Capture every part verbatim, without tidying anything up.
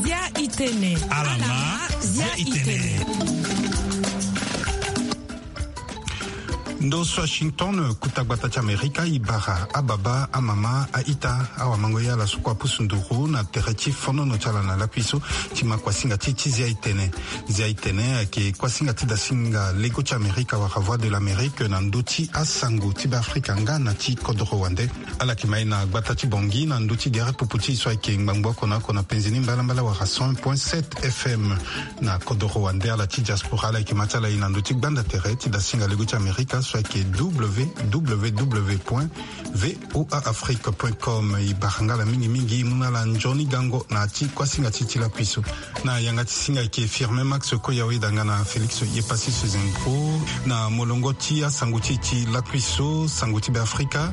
Zia itene. Alama, zia itene. Ndo so Washington, kuta gbata ti Amerika, e bara ababa, amama, a-ita, awamango ye ala so kue apusu nduru na tere ti fonono ti ala na lakui so, ti ma kuasinga ti ti zia itene. Zia itene ayeke kuasinga ti dasinga lego ti Amerika wala Voix de l'Amérique na ndö ti asango ti Beafrika nga na ti kodoro wande. Ala yeke ma e na gbata ti Bangui na ndö ti gere pupu ti e so ayeke ngbangbo oko na oko na penzi ni mbalambala wala cent point sept F M. Na kodoro wande, ala ti diaspora, ala yeke ma ti ala e na ndö ti gbanda tere ti dasinga lego ti Amerika so ayeke W W W point V O A Afrique point com. E bara nga ala mingi mingi, e mu na ala nzoni gango na ya ti kuasinga ti e ti lakui so. Na yanga ti singa ayeke Firmin Max Koyawe, danga na Félix Yepasi Sezenko. Na molongo ti asango ti e ti lakui so, sango ti Beafrika.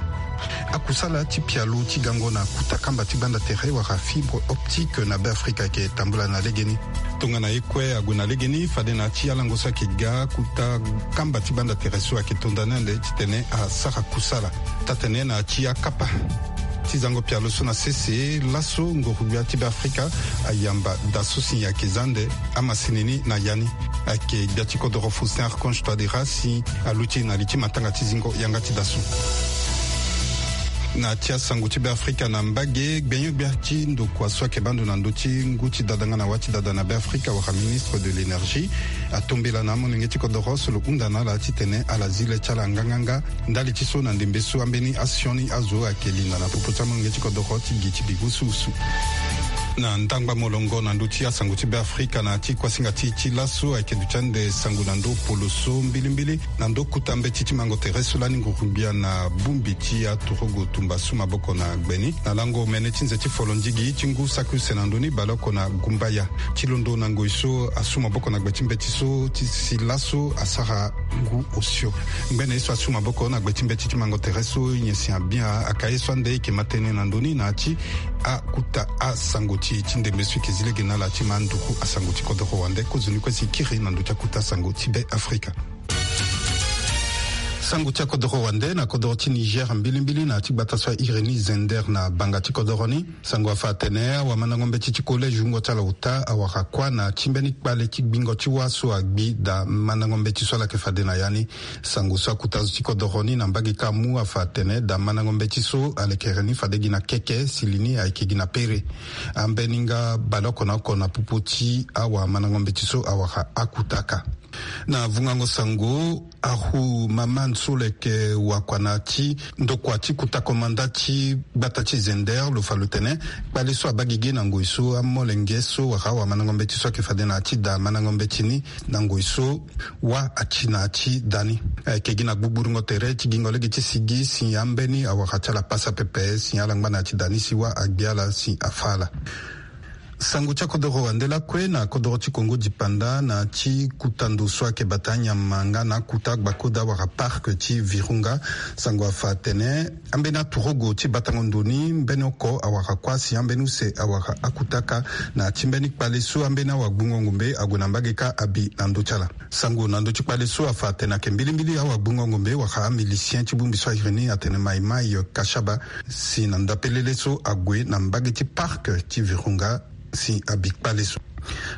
Akusala ti pialo ti gango na kuta kamba ti gbanda tere wala fibre optique na Beafrika ayeke tambula na legeni. Tongana ye kue ague na legeni, fade na ya ti alango so ayeke ga, kuta kamba ti gbanda tere so ayeke tonda ni ande titene asara kusala. Taa-tene na ya ti akapa ti zango pialo so na sese laso, nguru-gbia ti Beafrika ayamba da so si ayeke za ande amasini ni na ya ni. Ayeke gbia ti kodoro Faustin Archange Touadéra si aluti na li ti matanga ti zingo yanga ti da so. Na ya ti asango ti Beafrika na mbage, gbenyo-gbia ti ndokua so ayeke baa ndo na ndö ti ngu ti dada nga na wâ ti dada na Beafrika wala ministre de l'énergie atombela na amolenge ti kodoro so lo hunda na ala titene ala zi le ti ala nganganga. Ndali ti so na ndembe so ambeni asioni azo ayeke linda na popo ti amolenge ti kodoro ti gi ti gi wusuwusu. Na ndangba molongo na ndö ti asango ti Beafrika na ya ti kuasinga ti e ti laso, ayeke duti ande sango na ndö polo so mbilimbili na ndö kuta mbeti ti mango tere so lani nguru-gbia na bongbi ti aturugu tumba su maboko na gbe ni. Na lango omene ti nze ti folondigi ti ngu saki use na ndö ni, baleoko na gumbaya, ti londo na ngoi so asu maboko na gbe ti mbeti so ti si laso asara ngu osio. Ngbene ye so asu maboko na gbe ti mbeti ti mango tere so, nyen si abia aka ye so ande e yeke ma tënë na ndö ni na ya ti akuta asango ti e ti ndembe so e yeke zi lege na ala ti ma nduku asango ti kodoro wande. Kozoni kue si e kiri na ndö ti akuta asango ti Beafrika. Sango ti akodoro wande na kodoro ti Niger mbilimbili na ya ti gbata so a iri ni Zender na banga ti kodoro ni. Sango afa atene awamandango mbeti ti collège wungo ti ala ota awara kuâ na ya ti mbeni kpale ti gbingo ti wâ so agbi da mandango mbeti so ala yeke fade na ya ni. Sango so akuta azo ti kodoro ni na mbage kâ amu afa atene da mandango mbeti so alekere ni fade gi na keke si li ni ayeke gi na pere. Ambeni nga baleoko na oko na popo ti awamandango mbeti so awara akuta kâ. Na vungango sango, Ahu Maman so lo yeke wakua na ya ti ndokua ti kota komanda ti gbata ti Zender lo fa lo tene kpale so abaa gigi na ngoi so amolenge so wala awamandango mbeti so ayeke fade na ya ti da mandango mbeti ni na ngoi so wâ ati na ya ti da ni. Ayeke gi na gbugburungo tere ti gingo lege ti sigi si ambeni awara ti ala pasa pepe si ala ngba na ya ti da ni si wâ agbi ala si afâ ala. Sango ti akodoro wande lakue na kodoro ti Kongo dipanda na ti kuta ndo so ayeke bata nyama nga na akuta gbakoda wala parc ti Virunga. Sango afa atene ambeni aturugu ti batango ndo ni mbeni oko awara kuâ si ambeni use awara akuta kâ na ya ti mbeni kpale so ambeni awagbungo ngombe ague na mbage kâ abi na ndö ti ala. Sango na ndö ti kpale so afa atene ayeke mbilimbili awagbungo ngombe wala amilicien ti bongbi so a iri ni atene Mai Mai Kashaba si na ndapelele so ague na mbage ti parc ti Virunga si abi kpale so.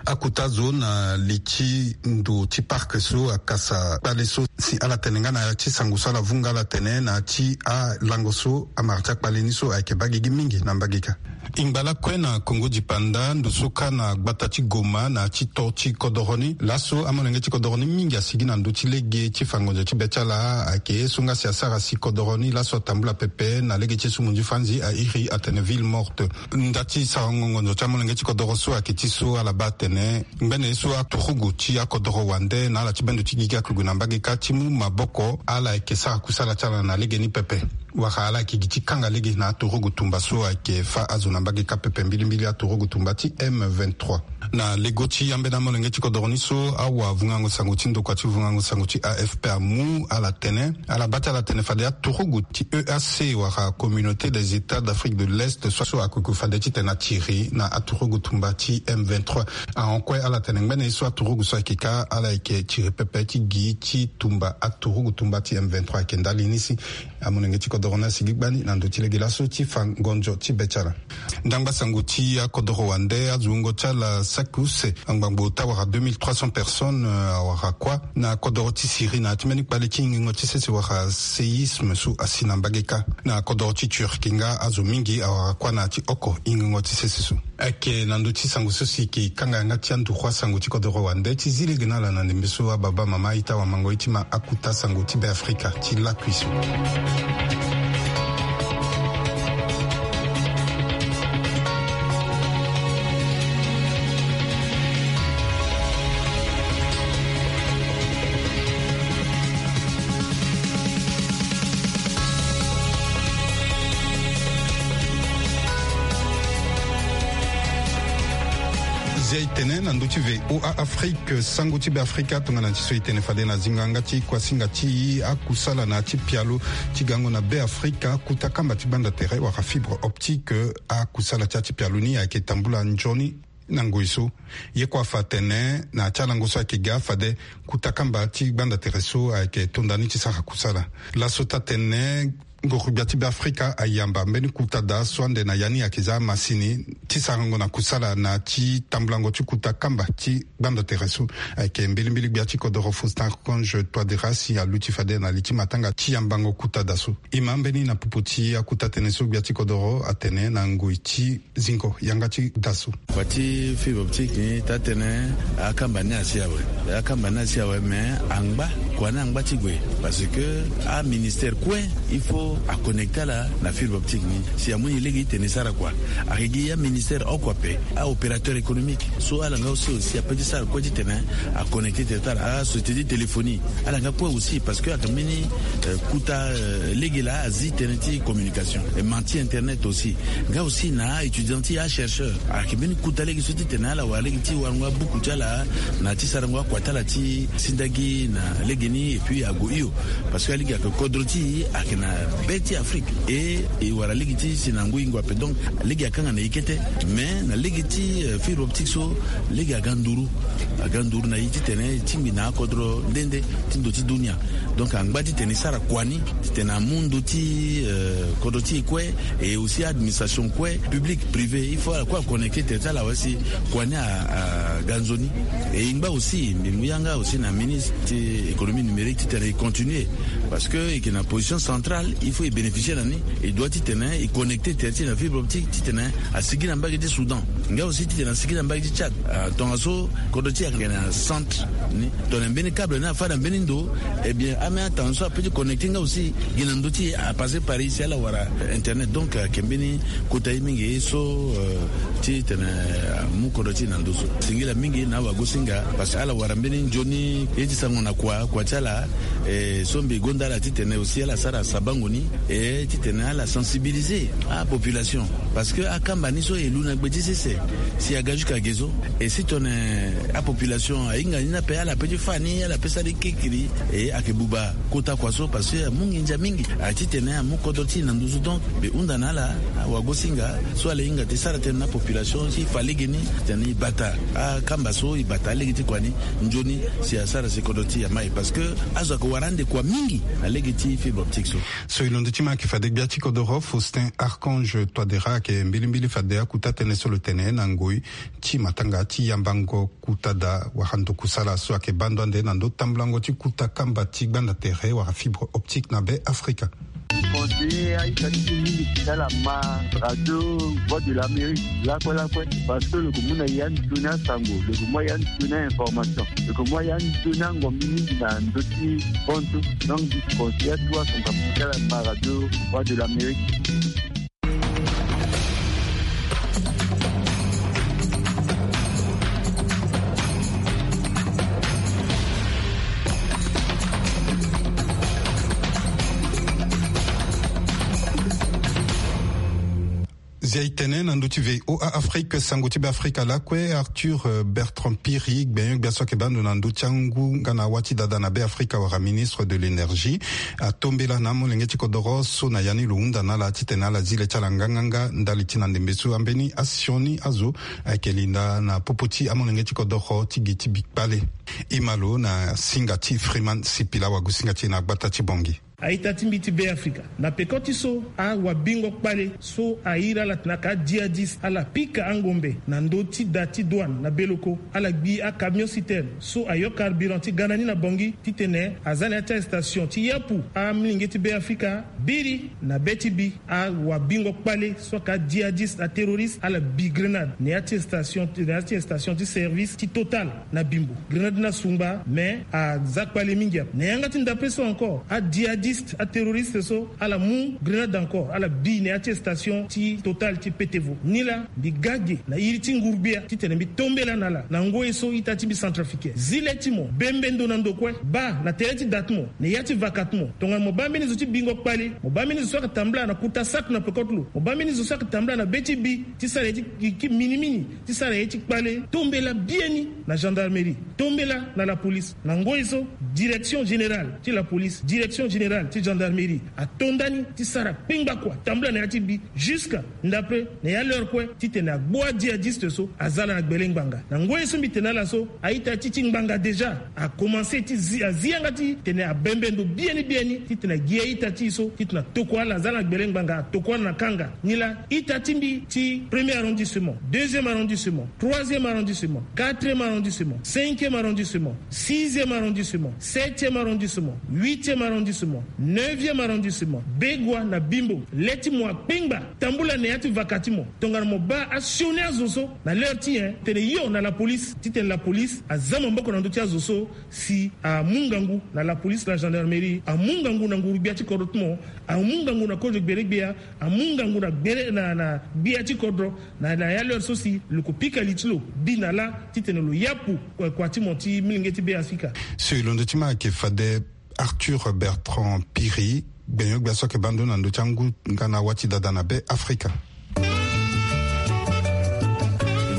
Akuta zo na li ti ndo ti parc so akasa kpale so si ala tene nga na ya ti sango so ala vunga ala tene na ya ti alango so amara ti akpale ni so ayeke baa gigi mingi na mbage kâ. E ngba lakue na Kongo dipanda ndo so kâ na gbata ti Goma na ya ti to ti kodoro ni. Laso amolenge ti kodoro ni mingi asigi na ndö ti lege ti fa ngonzo ti be ti ala. Ayeke ye so nga si asara si kodoro ni laso atambula pepe na lege ti esumunzu fanzi a iri atene ville morte. Nda ti sarango ngonzo ti amolenge ti kodoro so ayeke ti so ala baa atene ngbene ye so aturugu ti akodoro wande na ala ti bendo ti gigi ayeke gue na mbage kâ ti mu maboko ala yeke sara kusala ti ala na lege ni pepe. Wala ala yeke gi ti kanga lege na aturugu tumba so ayeke fâ azo na mbage kâ pepe, mbilimbili aturugu tumba ti M vingt-trois. Na lego ti ambeni amolenge ti kodoro ni so awavungango sango ti ndokua ti vungango sango ti A F P amu ala tene, ala baa ti ala tene fade aturugu ti E A C wala Communauté des États d'Afrique de l'Est so, so akoki fade titene atiri na aturugu tumba ti M vingt-trois. Ahon kue ala tene ngbene ye so aturugu so ayeke kâ ala yeke tiri pepe ti gi ti tumba Ba aturugu tumba ti M vingt-trois ayeke ndali ni si amolenge ti kodoro ni asigi gbani na ndö ti lege laso ti fa ngonzo ti be ti ala. Ndangba sango ti akodoro wande, azo wungo ti ala saki use angbangbo ota wara deux mille trois cents personnes, euh, awara kuâ na kodoro ti Syrie na ya ti mbeni kpale ti hingingo ti sese wara séisme so asi na mbage kâ. Na kodoro ti Turquie nga azo mingi awara kuâ na ya ti oko hingingo ti sese so. Ayeke na ndö ti sango so si e yeke kanga yanga ti anduru asango ti kodoro wande ti zi lege na ala na ndembe so. Ababa, mama, ita, wamango, e ti ma akuta sango ti Be Afrika ti lakui so. Zia e tene na ndö ti V O A Afrique, sango ti Be Afrika, tongana ti so e tene fade na zingo yanga ti kuasinga ti akusala na ya ti pialo ti gango na Be Afrika, kuta kamba ti gbanda tere wala fibre optique. Akusala ti ya ti pialo ni ayeke tambula nzoni na ngoi so. Ye kue afa atene na ya ti alango so ayeke ga fade kuta kamba ti gbanda tere so ayeke tonda ni ti sara kusala. Laso taa-tene, nguru-gbia ti Be Afrika ayamba mbeni kuta daa so ande na ya ni ayeke za amasini ti sarango na kusala na ya ti tambulango ti kuta kamba ti gbanda tere so. Ayeke mbilimbili gbia ti kodoro Faustin Archange Touadéra si aluti fade na li ti matanga ti yambango kuta daa so. E ma mbeni na popo ti akuta tënë so gbia ti kodoro atene na ngoi ti zingo yanga ti da so. Kua ti fibre optique ni taa-tënë, akamba ni asi awe. Akamba ni asi awe, mais angba, kua ni angba ti gue. Parce que aministère kue il faut aconnecter ala na fibre optique ni. Si amu ni lege ti tene e sara kua, ayeke gi aministère oko ape, aopérateur économique so ala nga aussi, aussi ape ti sara kue ti tene aconnecter tere ti ala. Asociété ti téléphonie, ala nga kue aussi, parce que ayeke mbeni, euh, kuta, euh, lege laa azi tënë ti communication, e ma ti internet aussi. Nga aussi na aétudiant ti achercheur, ayeke mbeni kuta lege so ti tene ala wara lege ti warango abuku ti ala na ti sarango akua ti ala ti sindagi na lege ni, et puis ague hio. Parce que alege ayeke kodro ti e ayeke na be ti Afrique, e, e wara lege ti si na ngoi ngoi ape. Donc lege akanga na e kete. Mais na lege ti, euh, fibre optique so, lege aga nduru. Aga nduru na e ti tene e tingbi na akodro nde nde ti ndo ti dunia. Donc angba ti tene e sara kua ni ti tene amu ndo ti, euh, kodro ti e kue, et aussi administration kue, public, privé, il faut ala kue aconnecter tere ti ala awe si kua ni a, aga nzoni. Et e ngba aussi, mbi mu yanga aussi na ministre ti économie numérique ti tene e continuer. Parce que e yeke na position centrale, il faut e bénéficier na ni. E doit ti tene e connecter tere ti e na fibre optique ti tene asigi na mbage ti Soudan. Nga aussi ti tene asigi na mbage ti Tchad. Ah, tongaso kodro ti e ayeke na centre ni. Tongana mbeni câble ni afâ na mbeni ndo, eh bien, ame atanga so apeut ti connecter nga aussi gi na ndö ti e, apasser par ici, ala wara internet. Donc, euh, ayeke mbeni kota ye mingi so, euh, ti tene, euh, amu kodro ti e na ndo so. Singila mingi na awagosinga, parce que ala wara mbeni nzoni ye ti sarango na kua, kua ti ala, eh, so mbi gonda ala ti tene aussi ala sara sabango ni, eh, ti tene ala sensibiliser apopulation. Parce que akamba ni so e lu na gbe ti sese, si aga jusqu'à ge so. Et si tongana apopulation ahinga ni ni ape, ala peut ti fâ ni, ala peut sara ni kirikiri, e ayeke buba kota kua so, parce que amu nginza mingi, a ti tene amu kodro ti e na nduzu. Donc mbi hunda na ala, awagosinga, so ala hinga ti sara tënë na population, si e fa legeni, titene e bata akamba so, e bata alege ti kua ni nzoni, si asara si kodro ti e amai. Parce que azo ayeke wara ande kua mingi na lege ti fibre optique so. So e londo ti ma ayeke fade gbia ti kodoro Faustin Archange Touadéra ayeke mbilimbili fade akuta tënë so lo tene na ngoi ti matanga ti yambango kuta daa wala ndo kusala so ayeke baa ndo ande na ndo tambulango ti kuta kamba ti gbanda tere wala fibre optique na Be Afrika. Conseiller aita ti mingi ti ala ma radio Voix de l'Amérique lakue lakue, parce que lo yeke mu na ya nzoni asango, lo yeke mu ya nzoni ainformation, lo yeke mu ya nzoni angombi mingi na ndö ti bontu. Donc mbi conseiller atu asango ti ala ma radio Voix de l'Amérique. E tene na ndö ti VOA Afrique, sango ti Beafrika lakue, Arthur, euh, Bertrand Piri, gbenyo-gbia so ayeke baa ndo na ndö ti angu nga na awâ ti dada na Beafrika wala ministre de l'énergie, atombela na amolenge ti kodoro so na ya ni lo hunda na ala titene ala zi le ti ala nganganga ndali ti na ndembe so ambeni asioni azo ayeke linda na popo ti amolenge ti kodoro ti gi ti bi kpale. E ma lo na singa ti Freeman Sipila, wagosinga ti e na gbata ti Bangui. A-ita ti mbi ti Beafrika, na peko ti so awabingo kpale so ahiri ala tene aka adjihadiste, ala pika angombe na ndö ti da ti douane na Beloko, ala gbi acamion citerne so ayo carburant ti ga na ni na Bangui, titene aza na ya ti astation ti yapu amilenge ti Beafrika. Biri na be ti bi, awabingo kpale so aka adjihadiste, aterroriste, ala bi grenade na ya ti station, na ya ti station ti service ti Total na Bimbo. Grenade ni asungba, mais aza kpale mingi ape. Na yanga ti ndapre so encore, adjihadiste, aterroriste so, ala mu grenade encore, ala bi na ya ti station ti Total ti Petevo. Nilaa mbi ga ge na iri ti nguru-gbia titene mbi tombela na ala na ngoi so ita ti mbi centrafricain. Zi le ti mo, bembe ndo na ndo kue, baa na tere ti da ti mo, na ya ti vaka ti mo. Tongana mo baa mbeni zo ti bingo kpale, mo baa mbeni zo so ayeke tambula na kuta saki na peko ti lo, mo baa mbeni zo so ayeke tambula na be ti bi ti sara ye ti, ti minimini, ti sara ye ti kpale, tombela biani na gendarmerie, tombela na la police. Na ngoi so, direction générale ti la police, direction générale ti gendarmerie ato ndani ti sara kpengba kua, tambula na ya ti bi jusqu'à ndapre na ya l'heure kue, titene agbu adjihadiste so aza ala na gbele ngbanga. Na ngoi so mbi tene na ala so, a-ita ti ti ngbanga déjà akomanse ti zi, azi yanga titene abembe ndo biani biani titene agi a-ita ti e so titene atokua ala, aza ala na gbele ngbanga, atokua ala na kanga. Nilaa ita ti mbi ti premier arrondissement, deuxième arrondissement, troisième arrondissement, quatrième arrondissement, cinquième arrondissement, sixième arrondissement, septième arrondissement, huitième arrondissement, neuvième arrondissement, Begoua na Bimbo, le ti mo akpengba, tambula na ya ti vaka ti mo. Tongana mo baa asioni azo so na l'heure ti nyen, tene yo na la police, titene la police aza maboko na ndö ti azo so, si amu ngangu na la police, la gendarmerie, amu ngangu na nguru-gbia ti kodro ti mo, amu ngangu na kozo gbele-gbia, amu ngangu na gbele na, na gbia ti kodro, na, na ya l'heure so si lo ko pika li ti lo bi na lâ titene lo yapu kua, kua ti mo ti milenge ti Beafrika. So e londo ti ma ayeke fade Arthur Bertrand Piri, gbenyo-gbia so ayeke baa ndo na ndö ti angu nga na awâ ti dada na Beafrika. E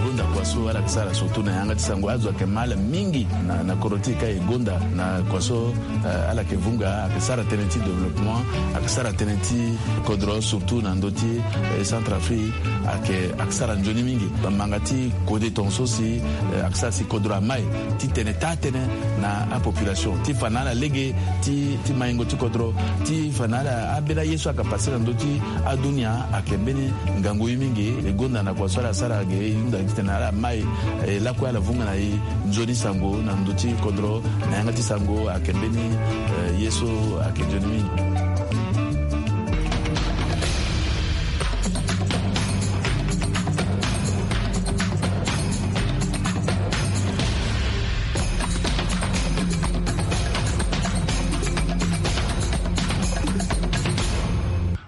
gonda kua so ala yeke sara surtout na yanga ti sango, azo ayeke ma ala mingi na, na kodro ti e ka e gonda na kua so, eh, ala yeke vunga, ayeke sara tënë ti développement, ayeke sara tënë ti kodro surtout na ndö ti, eh, Centrafrique, ayeke, ayeke sara nzoni mingi. Bamanga ti kode tongaso si, eh, ayeke sara si kodro amai titene taa tënë na apopulation, ti fa na ala lege ti, ti maingo ti kodro, ti fa na ala ambeni aye so ayeke pase na ndö ti adunia, ayeke mbeni ngangu ye mingi. E gonda na kua so ala sara ge, e hunda titene ala mai, eh, lakue ala vunga na e nzoni sango na ndö ti kodro, na yanga ti sango ayeke mbeni, eh, ye so ayeke nzoni mingi.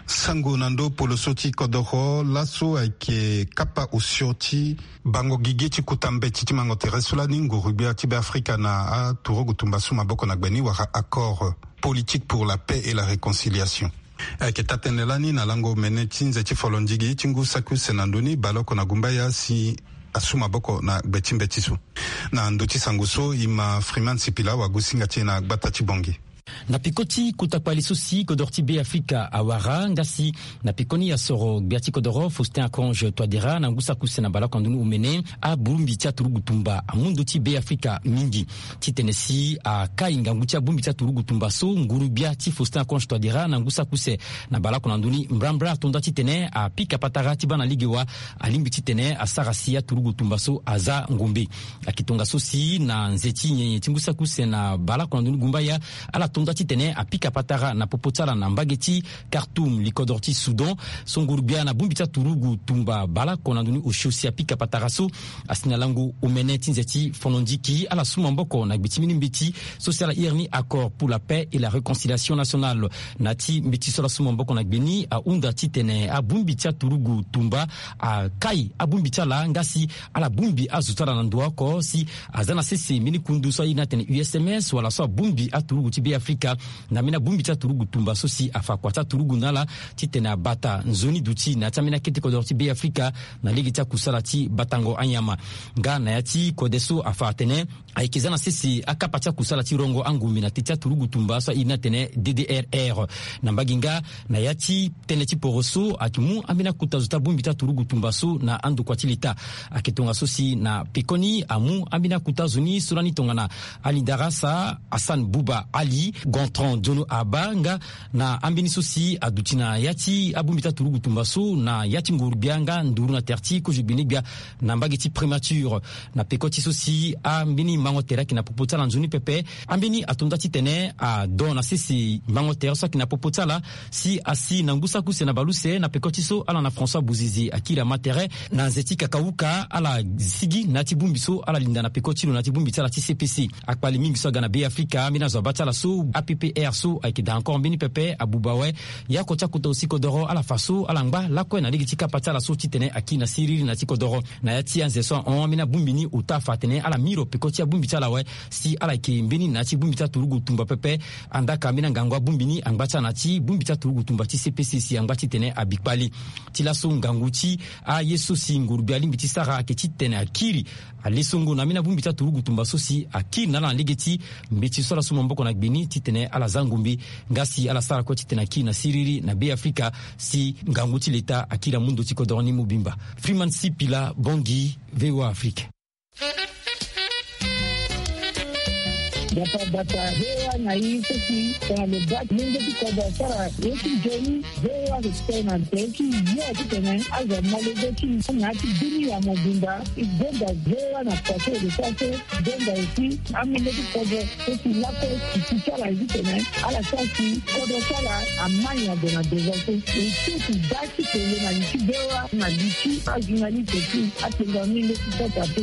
Sango na ndö poloso ti kodoro laso ayeke kapa osio ti bango gigi ti kuta mbeti ti mango tere so lani nguru-gbia ti Beafrika na aturugu tumba su maboko na gbe ni wala accord politique pour la paix et la réconciliation. Ayeke taa-tënë lani na lango omene ti nze ti folondigi ti ngu saki use na ndö ni baleoko na gumbaya si asu maboko na gbe ti mbeti so. Na ndö ti sango so, e ma Freeman Sipila, wagosinga ti e na gbata ti Bangui. Na peko ti kota kpale so si kodoro ti Beafrika awara, nga si na pekoni asoro gbia ti kodoro Faustin Archange Touadéra na ngu saki use na baleoko na ndö ni omene, abongbi ti aturugu tumba amu ndö ti Beafrika mingi. Titene si akai ngangu ti abongbi ti aturugu tumba so, nguru-gbia ti Faustin Archange Touadéra na ngu saki use na baleoko na ndö ni mbrambra ato nda titene apika patara ti baa na lege wa alingbi titene asara si aturugu tumba so aza ngombe. Ayeke tongaso si na nze ti nyenye ti ngu saki use na baleoko na ndö ni gumbaya, ala to nda titene apika patara na popo ti ala na mbage ti Khartoum, likodoro ti Soudan, so nguru-gbia na bongbi ti aturugu tumba baleoko na ndö ni osio si apika patara so asi na lango omene ti nze ti folondigi, ala su maboko na gbe ti mbeni mbeti so si ala iri ni accord pour la paix et la réconciliation nationale. Na ya ti mbeti so ala su maboko na gbe ni ahunda titene abongbi ti aturugu tumba akai abongbi ti ala, nga si ala bongbi azo ti ala na ndo oko si aza na sese mbeni kundu so airi ni atene U S M S wala so abongbi aturugu ti Beafrika Afrika na ambeni abongbi ti aturugu tumba so si afa kua ti aturugu na ala titene abata nzoni duti na ya ti ambeni akete kodoro ti Be Afrika na lege ti akusala ti batango anyama. Nga na ya ti kode so afa atene ayeke za na sese akapa ti akusala ti rongo angombe na te ti aturugu tumba so airi ni atene D D R R. Na mbage nga na ya ti tënë ti poro so ayeke mu ambeni akota zo ti abongbi ti aturugu tumba so na andokua ti leta. Ayeke tongaso si na pekoni amu ambeni akota zo ni so lani tongana Ali Darasa, Hassan Bouba Ali, Gontran Diono Aba nga na ambeni so si aduti na ya ti abongbi ti aturugu tumba so na ya ti nguru-gbia nga nduru na tere ti kozo gbene-gbia na mbage ti Primature. Na peko ti so si ambeni mango tere ayeke na popo ti ala nzoni pepe, ambeni ato nda titene adon na sese mango tere so ayeke na popo ti ala si asi na ngu saki use na baleuse na peko ti so ala na François Bouzizi akiri ama tere na nze ti kakauka ala sigi na ya ti bongbi so ala linda na peko ti lo na ya ti bongbi ti ala ti C P C. Akpale mingi so aga na Be Afrika ambeni azo abaa ti ala so A P P R so ayeke daa encore mbeni pepe abuba awe. Ya oko ti akota osi kodoro ala fa so ala ngba lakue na lege ti kapa ti ala so titene akiri na siriri na ya ti kodoro. Na ya ti anze so ahon ambeni abongbi ni ota afa atene ala miro peko ti abongbi ti ala awe si ala yeke mbeni na ya ti bongbi ti aturugu tumba pepe. Andaka ambeni angangu abongbi ni angba ti ala na ya ti bongbi ti aturugu tumba ti C P C si angba titene abi kpale. Ti laso ngangu ti aye so si ngurugbi alingbi ti sara ayeke titene akiri alesongo na ambeni abongbi ti aturugu tumba so si akiri na ala na lege ti mbeti so ala so maboko na gbe ni titene ala za ngombe nga si ala sara kue titene akiri na siriri na Be Afrika si ngangu ti leta akiri amu ndo ti kodoro ni mobimba. Freeman Sipila Bongi, V O A Afrique. Bata bata V O A na i so si tongana lo baa ti lenge ti kodro asara ye ti nzoni. V O A ayeke tene na tere ti yo titene azo amolenge ti na ya ti bini ya mobimba. E gonda V O A na kua so e lo sara so. Gonda aussi amolenge ti kodro so si lakue ti ti ti ala ye titene ala sara si kodro ti ala ama nyen ague na devant so. E so ti baa ti tene na li ti V O A na li ti ajournaliste ti atene na ni leti kota te.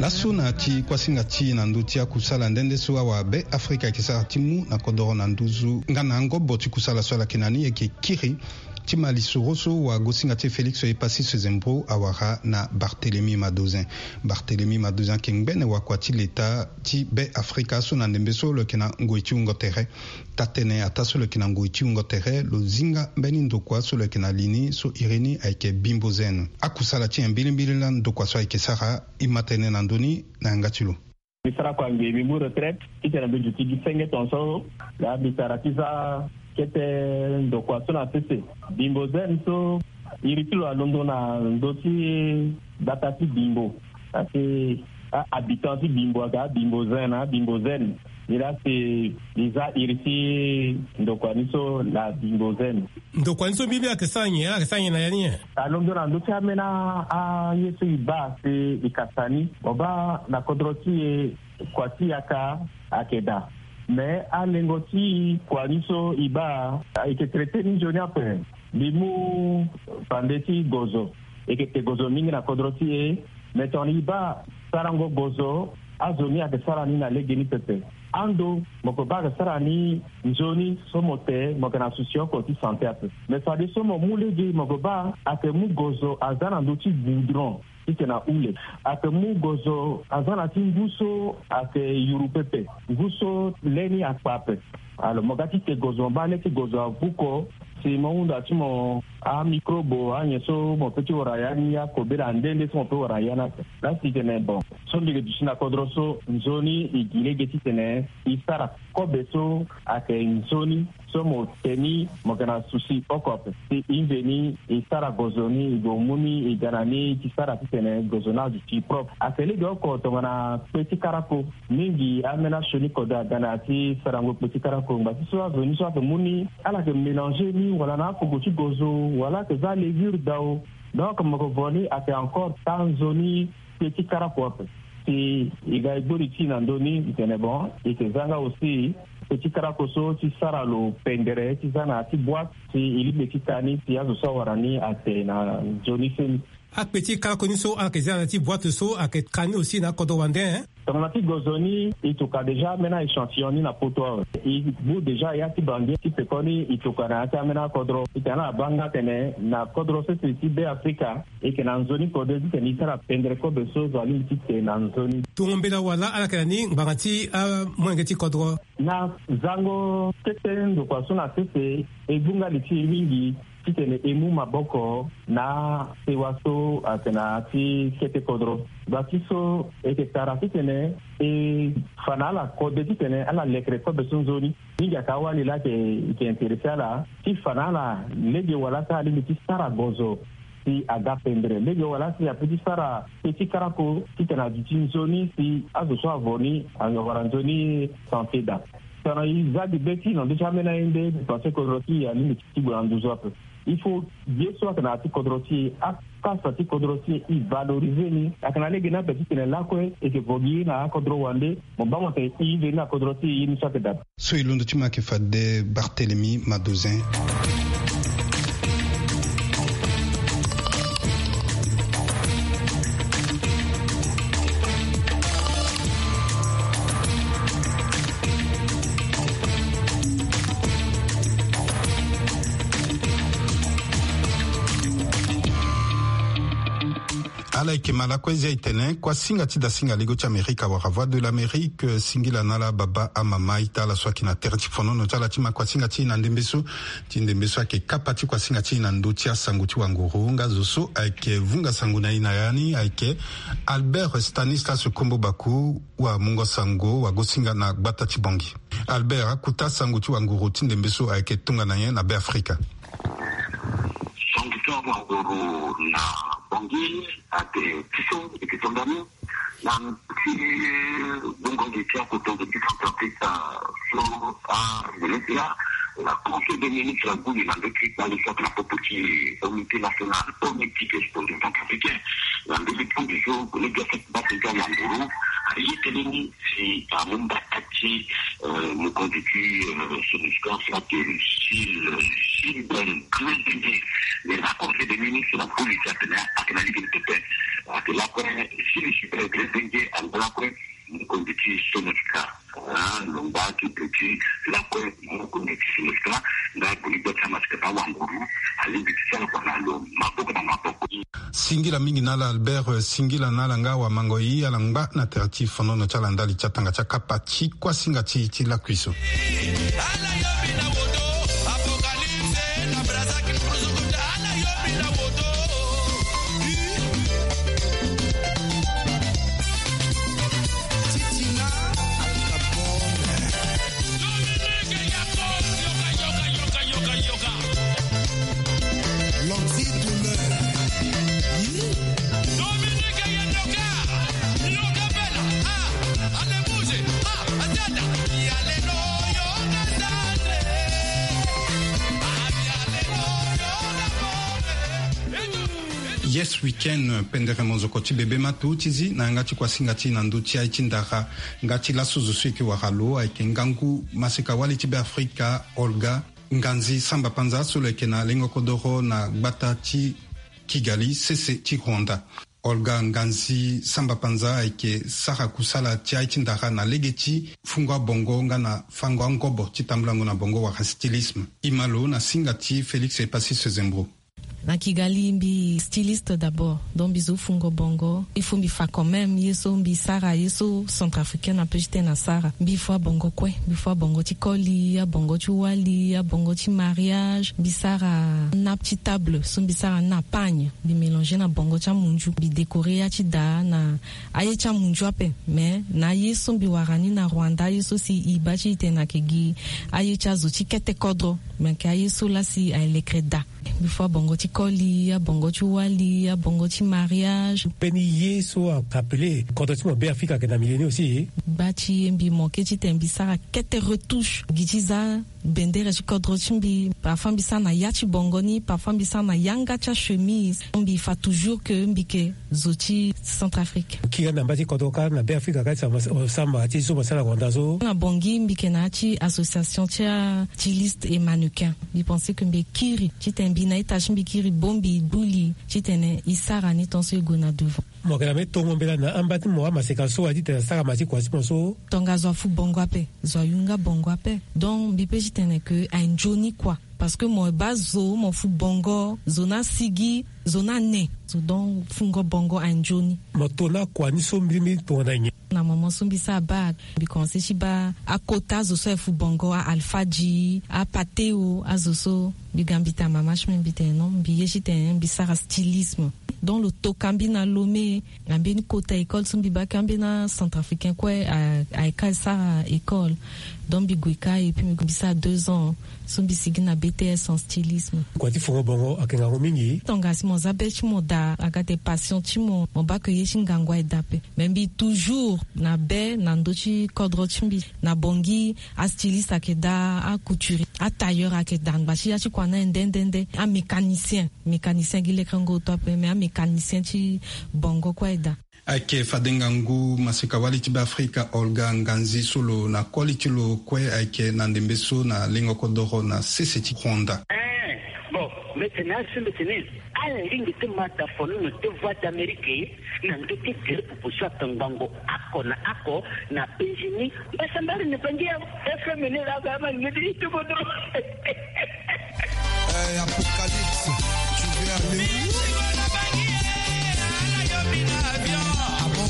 Laso na ti kuasinga ti na ndö ti akusala nde nde so awa Be Afrika ayeke sara ti mu na kodoro na nduzu nga na angobo ti kusala so ala yeke na ni ayeke kiri ti ma lisoro so wagosinga ti e Félix Epassis Zembro awara na Barthélemy Madozin. Barthélemy Madozin ayeke ngbene wakua ti leta ti Be Afrika so na ndembe so lo yeke na ngoi ti wungo tere. Taa-tënë ataa so lo yeke na ngoi ti wungo tere lo zinga mbeni ndokua so lo yeke na li ni so iri ni ayeke Bimbo Zen. Akusala ti nyen mbilimbili laa ndokua so ayeke sara? E ma tënë na ndö ni na yanga ti lo. Mbi sara kua ngbia mbi mu retraite titene mbi duti gi senge tongaso. Laa mbi sara ti za kete ndokua so na sese. Bimbo Zen so iri ti lo alondo na ndö ti gbata ti Bimbo. Parce que a-habitant ti Bimbo aga Bimbo Zen na Bimbo Zen. Nilaa si mbi za iri ti ndokua ni so na Bimbo Zen. Ndokua ni so mbi mbi ayeke sara nyen? Ala yeke sara nyen na ya ni nyen? Alondo na ndö ti ambeni aye so e baa si e kasa ni. Mo baa na kodro ti e kua ti yaka ayeke daa. Me alengo ti kua ni so e baa e yeke traité ni nzoni ape. Mbi mu pande ti gozo. E yeke te gozo mingi na kodro ti e. Me tongana e baa sarango gozo, azo ni ayeke sara ni na legeni pepe. Ando mo yeke baa ayeke sara ni nzoni so mo te mo yeke na souci oko ti santé ape. Me fadeso mo mu lege mo yeke baa ayeke mu gozo aza na ndö ti goudron titene ahule. Ayeke mu gozo aza na ti ngu so ayeke yuru pepe, ngu so le ni akpa ape. Alors mo ga ti te gozo mo baa le ti gozo avuko si mo hunda ti mo amicrobe anyen so mo peut ti wara ya ni akobela nde nde so mo peut wara ya ni ape. Laa si tene bon so mbi yeke duti na kodro so nzoni e gi lege titene e sara kobe so ayeke nzoni so mo te ni mo yeke na souci oko ape. Si e mveni e sara gozo ni e gue mu ni e ga na ni e ti sara titene gozo ni aduti propre. Ayeke lege oko tongana kpe ti karako. Mingi ambeni asioni kodro aga na ya ti sarango kpe ti karako ngba ti so azo ni so ayeke mu ni ala yeke mélanger ni wala na akogo ti gozo wala ayeke za levure dao. Donc mo yeke vo ni ayeke encore taa nzoni kpe ti karako ape. Si e ga e gbori ti e na ndö ni e tene bon e yeke za nga aussi kpe ti karako so ti sara lo pendere ti za na ya ti boîte si e lingbi ti ka ni si azo so awara ni ate na nzoni seni. Akpe ti karako ni so ala yeke za na ya ti boîte so ayeke ka ni aussi na akodro wande. Tongana ti gozo ni, e toka déjà ambeni échantillon ni na poto awe. E bu déjà ya ti bangi ti pekoni, e toka na ya ti ambeni akodro. E tene ala baa nga tene na kodro sese ti Be Afrika, e yeke na nzoni kode titene e sara pendere kobe so zo alingbi ti te na nzoni. Tongo mbela wala ala yeke na ni ngbanga ti amolenge ti kodro. Na zango kete ndokua so na sese, e gbu nga li ti e mingi titene e mu maboko na sewa so atene na ya ti kete kodro. Gba ti so e yeke tara titene e fa na ala kode titene ala lekere kobe so nzoni. Mingi ayeke awali laa ayeke intéressé ala ti fa na ala lege wala so alingbi ti sara gozo si aga pendere, lege wala si ape ti sara pe ti karako titene aduti nzoni si azo so avo ni awara nzoni santé daa. Tongana e za gi be ti e na ndö ti ambeni aye nde, e pense kodro ti e alingbi ti gue na nduzu ape. Il faut ye so ayeke na ya ti kodro ti e, akasa ti kodro ti e, e valoriser ni. Ayeke na lege ni ape titene lakue e yeke vo gi ye na akodro wande. Mo baa mo tene e veni na kodro ti e, ye ni so ayeke daa. So e londo ti mo ayeke fade Barthélemy Madozin. Ala yeke ma lakue zia e tene kuasinga ti dasinga lego ti Amerika wala Voix de l'Amérique, eh, singila na ala baba amama ita ala so ayeke na tere ti fonono ti ala ti ma kuasinga ti e na ndembe so. Ti ndembe so ayeke kapa ti kuasinga ti e na ndö ti asango ti wanguru nga zo so ayeke vunga sango na e na ya ni ayeke Albert Stanislas Kombo Baku, wamungo sango wagosinga na gbata ti Bangui. Albert, akuta sango ti wanguru ti ndembe so ayeke tongana nyen na Be Afrika? Sango ti wanguru na Bangui ate ti so eke tonda ni na ti bungo ngi ti akoto ngi ti Centrafrique so a ministre la Conseil des ministres agbu ni na ndö ti kpale so ayeke na popo ti Comité national politique exposé centrafricain. Na ndö ti tondu so kolege afeti base ti awanguru aye tënë ni si amu mbata ti, eh, mokonzi ti, eh, Sonuscor so ayeke Gilles, Gilbert Grésdengé. Mais na Conseil des ministres na polisi atene ayeke na lege ni pepe. Ayeke lakue Gilles Gilbert Grésdengé anga lakue mokonzi ti Sonuscor. Ah, lo ngba ti pe ti lakue mokonzi ti Sonuscor nga boni gbia ti amasika na awanguru alingbi ti sara kua na lo maboko na maboko. Singila mingi na ala Albert, eh, singila na ala nga wamango e, ala ngba na tere ti fonono ti ala ndali ti atanga ti akapa ti kuasinga ti e ti lakui so. Yes Weekend, pendere mozoko ti bebe ma tu ti zi na yanga ti kuasinga ti e na ndö ti aye ti ndara. Nga ti laso zo so e yeke wara lo ayeke ngangu maseka-wali ti Be Afrika, Olga Nganzi Samba Panza, so lo yeke na lengo kodoro na gbata ti Kigali, sese ti Rwanda. Olga Nganzi Samba Panza ayeke sara kusala ti aye ti ndara na lege ti fungo abongo nga na fango angobo ti tambulango na bongo wala stylisme. E ma lo na singa ti Félix Epasis Zembro. Na Kigali mbi styliste d'abord, donc mbi zo fungo bongo. Il faut mbi fa quand même ye so mbi sara, ye so centrafricaine ape ti tene asara. Mbi fua bongo kue, mbi fua bongo ti koli, abongo ti wali, abongo ti mariage. Mbi sara nappe ti table, so mbi sara na pagne. Mbi mélanger na bongo ti amunzu. Mbi décorer ya ti da na aye ti amunzu ape. Mais na aye so mbi wara ni na Rwanda, aye so si e baa ti e tene ayeke gi aye ti azo ti kete kodro. Me yeke aye so laa si aye lekere da. Mbi fua abongo ti koli, abongo ti wali, abongo ti mariage. Mbeni ye so ayeke appelé kodro ti mo Be Afrika ayeke na milieu ni aussi. Gba ti e mbi manqué ti tene mbi sara kete retouche. Gi ti za bendere ti kodro ti mbi. Parfois mbi sara na ya ti bongo ni, parfois mbi sara na yanga ti achemise. Mbi fa toujours que mbi yeke zo ti Centrafrique. Kiri na mba ti kodro kâ na Be Afrika kâ ti samba ti so mo sara na gonda so. Na Bangui mbi yeke na ya ti association ti a styliste et mannequin. Mbi pense que mbi kiri titene mbi na ita ti mbi kiri bongbi mbi buli titene e sara ni tant so e gue na devant. Mo yeke na mbeni tongo mbela na amba ti mo amaseka so wa titene asara ma ti kua ti mo so. Tongaso afu bongo ape, zo ayunga bongo ape. Donc mbi pe titene ke aye nzoni kua. Parce que mo baa zo mo fu bongo, zo ni asigi, zo ni ane. Zo donc fungo bongo aye nzoni. Mo to na kua ni so mbirimbiri tonga na nyen? Na moment so mbi sara bac, mbi commence ti baa akota azo so aye fu bongo, a Alfadji, a Pateo, azo so. Mbi ga mbi tene mama ti mbi, mbi tene non, mbi ye titene mbi sara stylisme. Donc lo toka mbi na Lomé, na mbeni kota école so mbi baa ka, ambeni acentrafricain kue a, aye ka sara école. Donc mbi gue ka et puis mbi sara deux ans so mbi sigi na B T S en stylisme. Kua ti fungo bongo ayeke ngangu mingi. Tongaso mo za be ti mo daa, aga ate passion ti mo, mo baa ke ye ti ngangu aye daa ape. Mais mbi toujours na be na ndö ti kodro ti mbi. Na Bangui, astyliste ayeke daa, acouturier, atailleur ayeke daa, angba ti ya ti kua ni aye nde nde nde. Amécanicien, mécanicien gi lekerengo oto ape, mais amécanicien ti bongo kue aye daa. Ayeke fade ngangu maseka-wali ti Be Afrika Olga Nganzi so lo na koli ti lo kue ayeke na ndembe so na lengo kodoro na sese ti Rwanda. Eh, bon, mbi tene asi, mbi tene ala lingbi ti ma da fonono ti Voix d'Amérique na ndö ti gere popo so atongbango oko na oko na penzi ni. Mbasambari ni bangi ya F M ni la ga ma ngedi ti kodro. Eh, Apocalypse, tu veux aller où? Ah bon?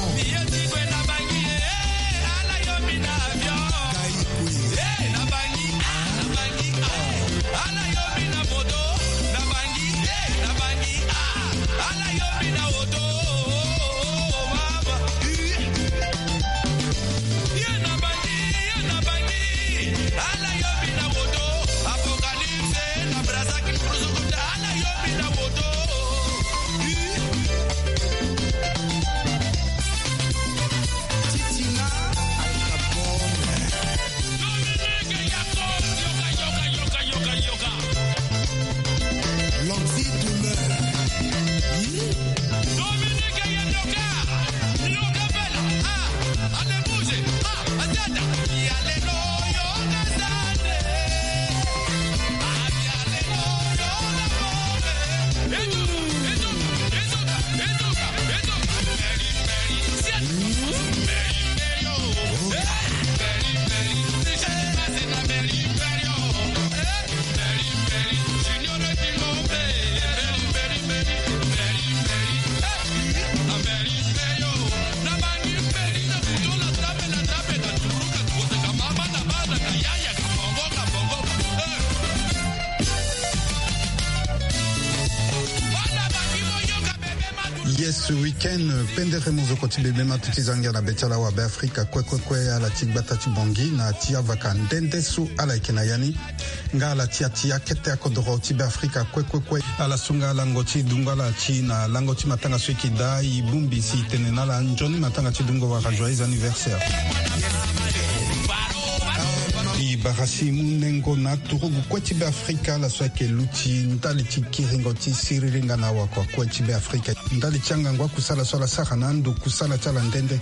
Yes, week-end pendere mozoko ti bebe ma tu ti za ngia na be ti ala wa Be Afrika kue kue kue, ala ti gbata ti Bangui na ti avaka nde nde so ala yeke na ya ni. Nga ala ti ya ti akete akodoro ti Be Afrika kue kue kue. Ala so nga lango ti dungo ala ti na lango ti matanga so e yeke daa, e bongbi si e tene na ala nzoni matanga ti dungo wala joyeux anniversaire. E bara si mu nengo na aturugu kue ti Be Afrika, ala so ayeke luti ndali ti kiringo ti siriri nga na awakua kue ti Be Afrika. Ndali ti angangu akusala so ala sara na ando kusala ti ala nde nde.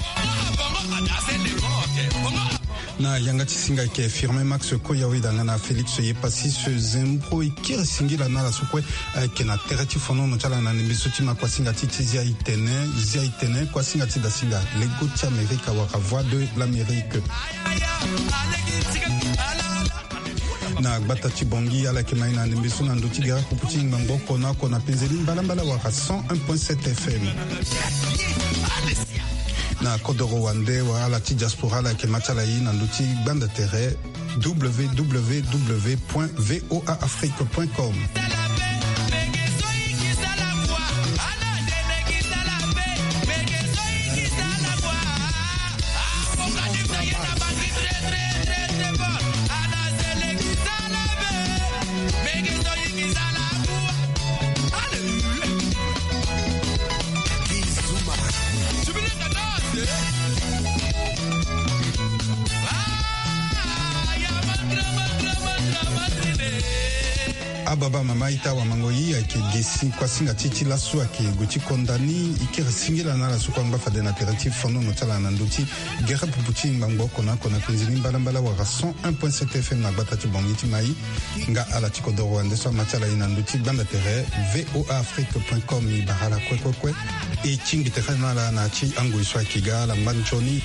Na yanga ti singa ayeke Firmin Max Koya Weda nga na Félix Yepassis Zembro, e kiri singila na ala so kue ayeke na tere ti fonono ti ala na ndembe so ti ma kuasinga ti ti zia itene, zia itene, kuasinga ti dasinga lego ti Amerika wala Voix de l'Amérique. Na gbata ti Bangui, ala yeke ma e na ndembe so na ndö ti gere akupu ti ngbangbo oko na oko na penzeni mbalambala wala cent un point sept F M. Na kodoro wande wala ala ti diaspora, ala yeke ma ti ala e na ndö ti gbanda tere, W W W point V O A Afrique point com. Ababa mama ita wamango yi ayeke ge si kuasinga ti ti laso ayeke gue ti konda ni. E kiri singila na ala so kue angba fade na tere ti fonono ti ala na ndö ti gere pupu ti ngbangbo oko na oko na kunzi ni mbalambala wala cent un point sept F M na gbata ti Bangui ti Maï. Nga ala ti kodoro wande so ama ti ala ye na ndö ti gbanda tere V O A Afrique point com. E bara ala kue kue kue. E tingbi tere na ala na ti angoi so ayeke ga ala ngba nzoni.